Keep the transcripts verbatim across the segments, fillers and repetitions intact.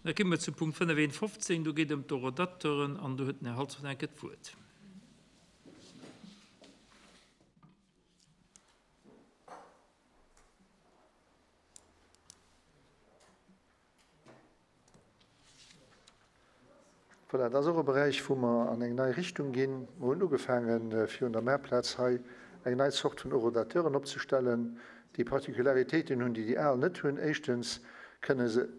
Da komme mer zum Punkt fënnefundfünfzig, do geet et ëm d'Horodateuren an do huet den Här Halsdorf enke d'Wuert. Voilà, dat ass och e Beräich, wou mer an eng nei Richtung ginn. Mer hunn ugefaangen, fir un der Maartplaz hei eng nei Zort vun Horodateuren opzestellen, déi Particularitéiten hunn, déi déi al net hunn. Éischtens kënne se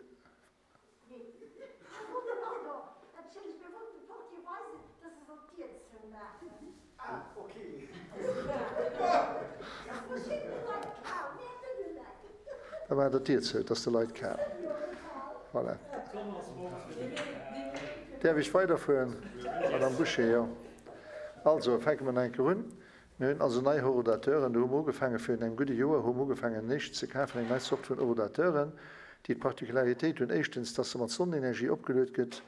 Da maacht Der d'Dier zou, et ass de Leit kal. Voilà. Däerf ech weiderfueren, Madame Bouché? Jo. Also, fänke mer nach eng Kéier un. Mir hunn also nei Horodateuren. Do hu mer ugefaangen, virun engem gudde Joer hu mer ugefaangen, néischt ze kafen, eng nei Zort vun Horodateuren, déi d'Particularitéit hunn, éischtens, dass se mat Sonnenenergie opgeluet gëtt,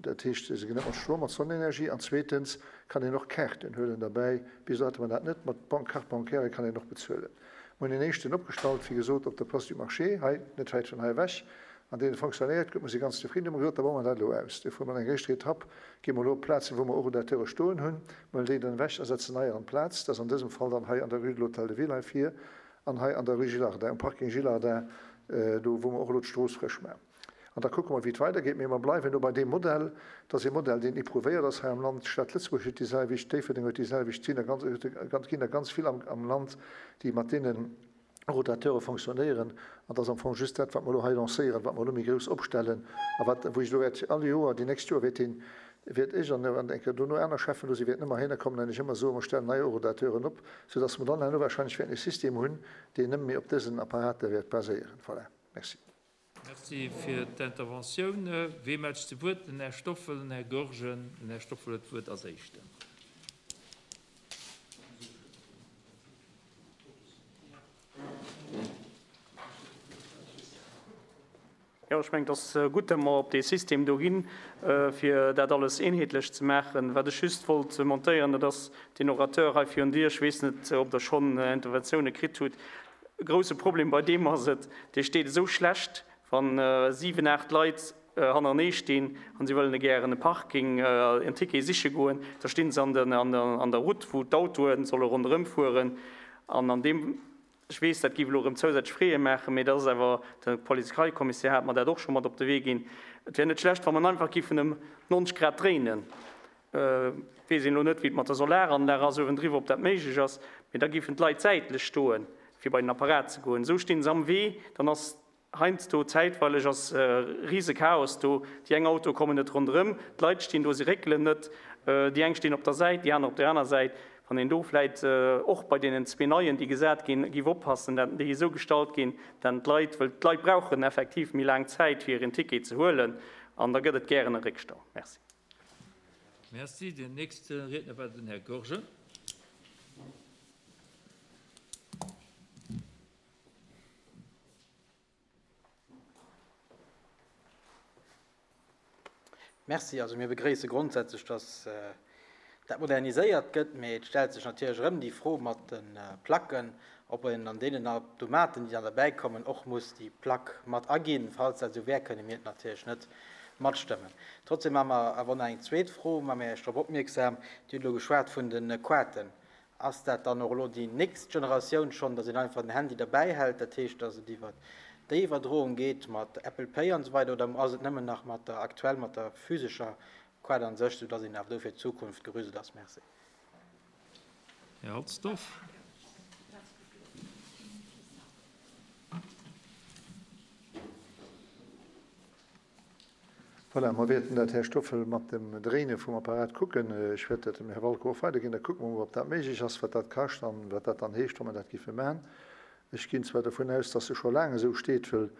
dat heescht, se gëtt net mat Strom, mat Sonnenenergie, an zweetens kann een och Kaarten huelen derbäi. Bis elo hate mer dat net, mat Bank, Carte bancaire kann een och bezuelen. Mir hunn een éischten opgestallt, wéi gesot, op der Place du Marché, hei, net wäit vun hei ewech, an deen fonctionnéiert gutt. Mir si ganz zefridden. Hu mer gesot, da baue mer dat elo aus. Duerfir hu mer eng éischter Etapp, gi mer elo op Plazen, wou mer Horodateure stoen hunn, huelen déi dann ewech a setzen neier an d'Plaz. Dat ass an dësem Fall dann hei an der Rue de l'Hôtel de Ville hei vir an hei an der Rue Gillardin, um Parking Gillardin, do wou mer och elo d'Strooss frësch maachen. An da kucke mer, wéi et weidergeet. Mee mer bleiwen elo bei deem Modell. Dat ass ee Modell, deen éprouvéiert ass hei am Land. D'Stad Lëtzebuerg huet déi selwecht, Déifferdeng huet déi selwecht. Et sinn der ganz, ganz, ginn der ganz vill am, am Land, déi mat deenen Rotateure fonctionnéieren. An dat ass am Fong just dat, wat mer elo hei lancéieren, wat mer elo méi grouss opstellen a wat, wou ech elo wäert all Joer, déi nächst Joer wäert deen, wäert ech an, an eng Kéier dono aner Cheffen do sinn, wäerten ëmmer heihinner kommen an ech ëmmer soen, mer stellen nei Rotateuren op, soudass mer dann herno wahrscheinlech wäerten e System hunn, deen nëmme méi op dësen Apparater wäert baséieren. Voilà. Merci. Merci fir d'Interventioun. Wee mellt sech zu Wuert? Den Här Stoffel, den Här Goergen. Den Här Stoffel huet d'Wuert als Éischten. Jo, ech mengen, et ass gutt, datt mer op dee System do ginn, fir dat alles eenheetlech ze maachen. Wat ech just wollt montéieren, dat ass deen Orateur hei virun dir. Ech weess net, ob Der schonn Interventioune kritt hutt. E grouse Problem bei deem ass et, dee steet esou schlecht, wann siwen, aacht Leit hannerenee stinn an si wëllen gären e Parking, en Ticket siche goen, da stinn se an der Route, wou d'Autoe solle ronderëm fueren. An an deem, ech weess, dat géif elo erëm zousätzlech Freeë maachen, mee dat ass awer, de Polizeikommissär hat mer dat och scho mat op de Wee ginn, et wär net schlecht, wa mer en einfach géifen ëm neunzeg Grad dréinen. Weess een elo net, wéi et mat der Solaranlag ass uewendriwwer, ob dat méiglech ass, mee da géifen d'Leit säitlech stoen, fir bei den Apparat ze goen. Esou stinn se am Wee, dann ass heiansdo zäitweileg ass rise Chaos do, déi eng Autoe kommen net ronderëm, d'Leit stinn do, se réckelen net, déi eng stinn op der Säit, déi aner op der aner Säit. Wann een do vläit och bei deenen zwee neien, déi gesat ginn, géif oppassen, dat déi esou gestallt ginn, dat d'Leit, wëll d'Leit brauchen effektiv méi laang Zäit, fir en Ticket ze huelen, an da gëtt et gären e Réckstau. Merci. Merci. Den nächste Riedner war den Här Goergen. Merci. Also mir begréisse grondsätzlech, dass dat moderniséiert gëtt, mee et stellt sech natierlech erëm déi Fro mat de Placken, ob een an deenen Automaten, déi dann derbäi kommen, och muss déi Plack mat aginn. Falls dat esou wär, kënne mir et natierlech net matstëmmen. Trotzdem hu mer awer nach eng zweet Fro, maache mir Iech drop opmierksam. Dir hutt elo geschwat vun de Quaten. Ass dat dann och elo déi nächst Generatioun schonn, dass een einfach den Handy derbäi hält, dat heescht, dass et iwwer déi Iwwerdroung geet mat Apple Pay an esou weider, oder ass et nëmmen nach mat der aktuell, mat der physescher Quat an sech, soudass een awer do fir d'Zukunft gerüstet ass? Merci. Här Halsdorf. Voilà, mer wäerten dat, Här Stoffel, mat dem Dréine vum Apparat kucken. Ech wäert dat dem Här Walko och weiderginn. Da kucke mer mol, ob dat méiglech ass, wat dat kascht an wat dat dann heescht, wa mer dat géife maachen. Ech ginn zwar dovun aus, dass se scho laang esou steet, wëll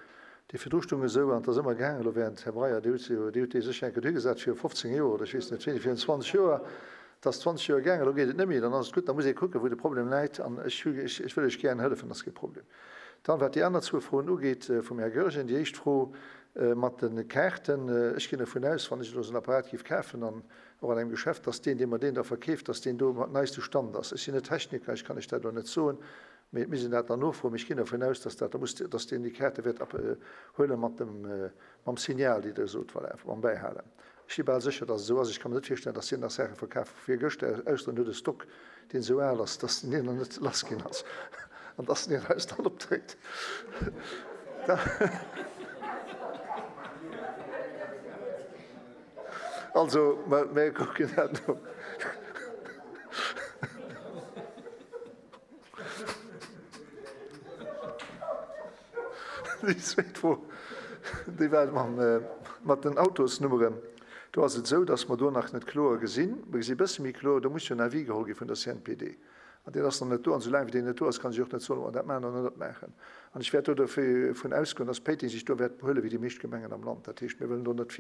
déi virdru stoung esou an et ass ëmmer gaangen. Elo während, Här Breyer, Dir hutt se jo, Dir hutt déi sécher eng Kéier dohigesat viru fofzéng Joer oder ech weess net wéini, virun zwanzeg Joer. Et ass zwanzeg Joer gaangen, elo geet et net méi. Dann ass et gutt, da muss ee kucken, wou de Problem läit. An ech hu, ech, ech wëll Iech gären hëllefen, dat ass kee Problem. Dann, wat déi aner zwou Froen ugeet vum Här Goergen, déi éischt Fro mat de Kaarten. Ech ginn dovun aus, wann ech elo esou en Apparat géif kafen an och an engem Geschäft, dass deen, dee mer deen da verkeeft, dass deen do um neiste Stand ass. Ech sinn net Techniker, ech kann Iech dat elo net soen. Mee et misst een dat dann nofroen. Mee ech ginn dervun aus, dass dat da muss, dass deen déi Kaarte wäert huele mat dem, mam Signal, déi Der sot, voilà, mam Bäihalen. Ech si bal sécher, dass et esou ass. Ech ka mer net virstellen, dass hien nach Saache verkaf vu virgëschter, ausser en huet e Stock, deen esou al ass, dass en deen nach net lass ginn ass an dass en deen eis dann opdréckt. Also, mer kucken dat no. Déi zweet Fro, déi war mat den Autosnummeren. Do ass et esou, dass mer do nach net kloer gesinn. Mer gesi e bësse méi kloer, do muss jo en Avis geholl gi vun der C N P D. An deen ass nach net do. An soulaang wéi deen net do ass, kann ech och net soen, ob mer dat maachen oder net maachen. An ech wäert do dovun ausgoen, dass Péiteng sech do wäert behuele wéi déi meescht Gemengen am Land. Dat heescht, mir wëllen do net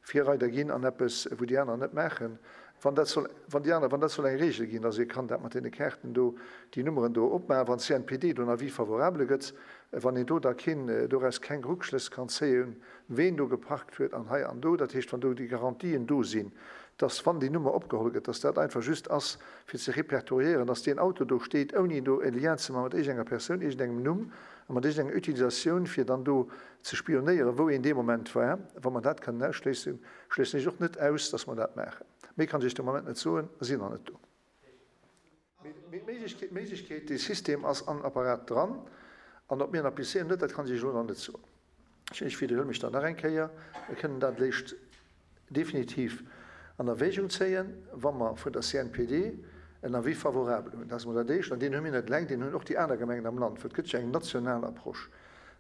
Virreider ginn an eppes, wou déi aner net maachen. Wann dat soll, wann déi aner, wann dat soll eng Regel ginn, dass ee kann dat mat deene Kaarten do, déi Nummeren do opmaachen, wann d'C N P D do en Avis favorable gëtt, wann een do da keen, doraus keng Rückschlëss kann zéien, ween do geparkt huet an hei an do, dat heescht, wann do déi Garantien do sinn, dass wann déi Nummer opgeholl gëtt, dass dat einfach just ass fir ze répertoriéieren, dass deen Auto do steet, ouni do e Lien ze maachen mat iergendenger Persoun, iergendengem Numm a mat iergendenger Utilisatioun, fir dann do ze spionéieren, wou een dee Moment war. Wa mer dat kënnen ausschléissen, schléissen ech och net aus, dass mer dat maachen. Méi kann ech de Moment net soen, mer sinn nach net do. Mee d'Méiglechkeet, dee System ass an Apparat dran, an ob mir en applizéieren oder net, dat kann ech Iech elo nach net soen. Ech widderhuele mech dann nach eng Kéier, Mir kënnen dat eréischt definitiv an Erwägung zéien, wa mer vun der C N P D en Avis favorable hunn. Dat ass emol dat Éischt. An deen hu mir net eleng, deen hunn och déi aner Gemengen am Land, well et gëtt jo eng national Approche.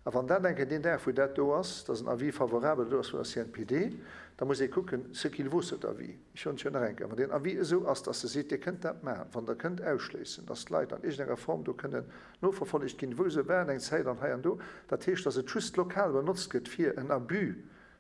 A wann dat enke deen Dag, wou dat do ass, dass en Avis favorable do ass vun der C N P D, da muss ee kucken, ce qu'il vaut cet avis. Ech soen et jo nach eng Kéier, Wann deen Avis esou ass, dass e seet, Dir kënnt dat maachen, wann Der kënnt ausschléissen, dass d'Leit an iergendenger Form do kënnen noverfollegt ginn, wou se waren eng Zäit an hei an do, dat heescht, dass et just lokal benotzt gëtt, fir en Abus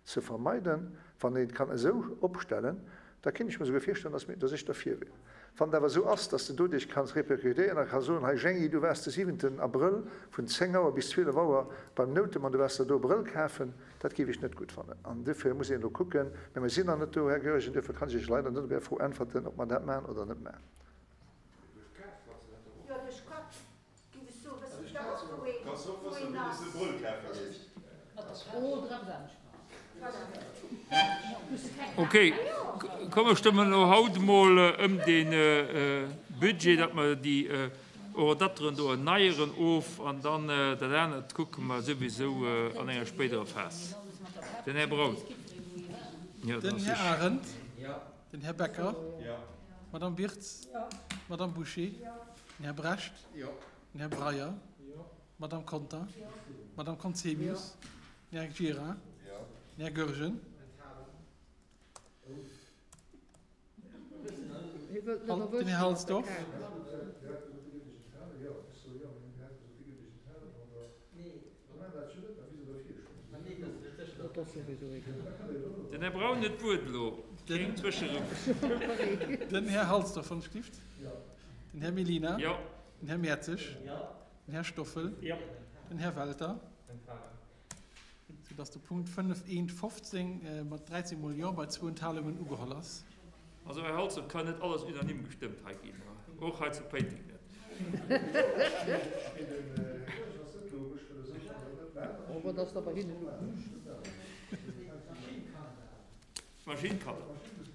ze vermeiden, wann een et kann esou opstellen, da kéint ech mer souguer virstellen, dass mir, dass ech derfir wier. Wann et awer esou ass, dass de doduerch kanns répercutéieren a ka soen, hei Jeanny, du waars de siwenten Abrëll vun zéng Auer bis zwielef Auer beim Noutem an du waars der do e Brëll kafen, dat géif ech net gutt fannen. An duerfir muss een elo kucken, mä mir sinn nach net do, Här Goergen, duerfir kann ech Iech leider net op Är Fro äntwerten, ob mer dat maachen oder net maachen. Ok, komm mer stëmmen elo haut emol ëm de Budget, datt mer déi Horodateren do erneieren, of an dann dat anert kucke mer souwisou an enger spéiderer Phas. Den Här Braun. Jo, Den Här Arendt. Den Här Becker. D'Madame Birtz. D'Madame Bouché. Den Här Brecht. Den Här Breyer. D'Madame Conter. D'Madame Conzemius. Den Här Gira. Den Här Goergen. Den Här Halsdorf. Den Här Braun huet d'Wuert elo. Keen Zwëscheruff. Den Här Halsdorf, wann ech gelift. Den Här Mellina. Den Här Mertzig. Den Här Stoffel. Den Här Welter. Soudass de Punkt fënnef eent fofzéng mat dräizéng Mol Jo bei zwou Enthalungen ugeholl ass. Also, Här Halsdorf, et kann net alles unanime gestëmmt hei ginn, och hei zu Péiteng net. D'Maschinn kann et.